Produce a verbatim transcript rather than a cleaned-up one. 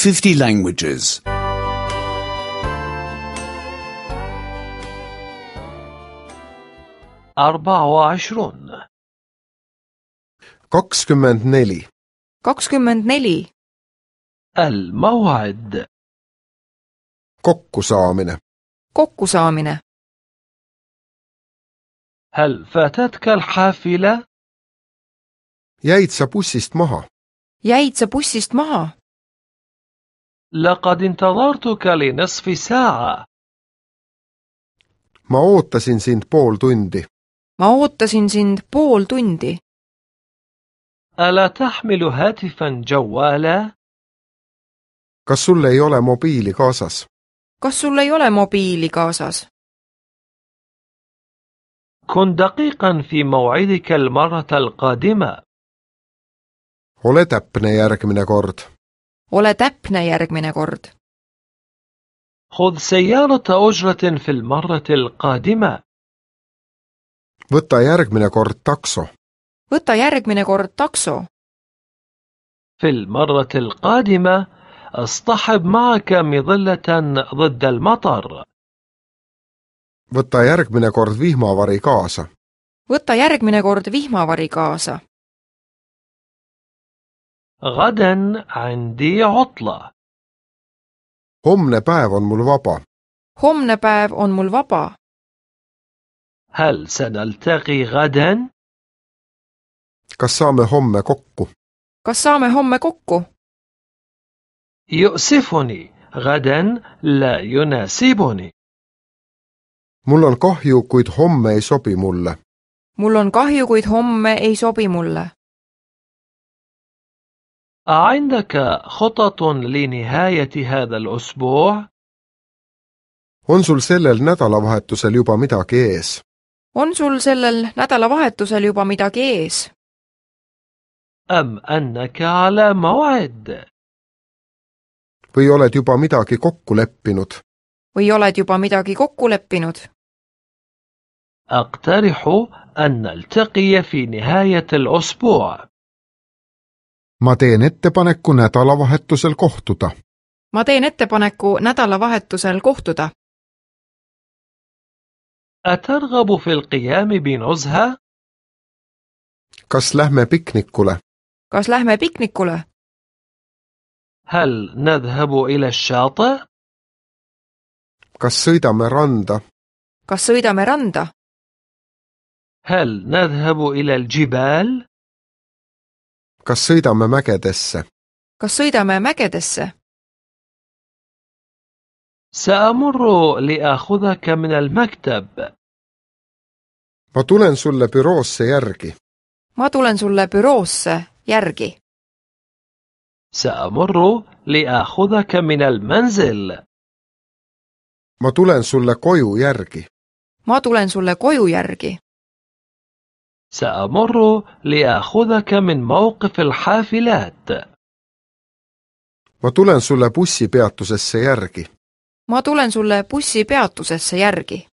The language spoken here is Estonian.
fifty languages. أربع وعشرون kakskümmend neli. kakskümmend neli. الموعد kokkusaamine. kokkusaamine. هل فاتتك الحافلة؟ jäid sa bussist maha? jäid sa bussist maha? لقد انتظرتك لنصف ساعة. ma ootasin sind pool tundi. ma ootasin sind pool tundi. ألا تحمل هاتفا جوالا؟ kas sul ei ole mobiili kaasas? kas sul ei ole mobiili kaasas? كن دقيقا في موعدك المرة القادمة. ole täpne järgmine kord. ole täpne järgmine kord. خذ سيارة أجرة في المرة القادمة. võta järgmine kord takso. võta järgmine kord takso. في المرة القادمة اصطحب معك مظلة ضد المطر. võta järgmine kord vihmavari kaasa. võta järgmine kord vihmavari kaasa. غدا عندي عطلة. homne päev on mul vaba. homne päev on mul vaba. هل سنلتقي غدا؟ kas saame homme kokku? kas saame homme kokku? يؤسفني غدا لا يناسبني. mul on kahju, kuid homme ei sobi mulle. mul on kahju, kuid homme ei sobi mulle. أعندك خطط لنهاية هذا الأسبوع؟ on sul sellel nädalavahetusel juba midagi ees? on sul sellel nädalavahetusel juba midagi ees? أم أنك على موعد؟ või oled juba midagi kokku leppinud? või oled juba midagi kokku leppinud? أقترح أن نلتقي في نهاية الأسبوع. ma teen ettepaneku nädalavahetusel kohtuda. ma teen ettepaneku nädalavahetusel kohtuda. أترغب في القيام بنزهة؟ kas lähme piknikule? kas lähme piknikule? هل نذهب إلى الشاطئ؟ kas sõidame randa? kas sõidame randa? هل نذهب إلى الجبال؟ kas sõidame mägedesse? kas sõidame mägedesse? سأمر لآخذك من المكتب. ma tulen sulle büroosse järgi. ma tulen sulle büroosse järgi. سأمر لآخذك من المنزل. ma tulen sulle koju järgi. ma tulen sulle koju järgi. سأمر لآخذك من موقف الحافلات. ma tulen sulle bussipeatusesse järgi. ma tulen sulle bussipeatusesse järgi.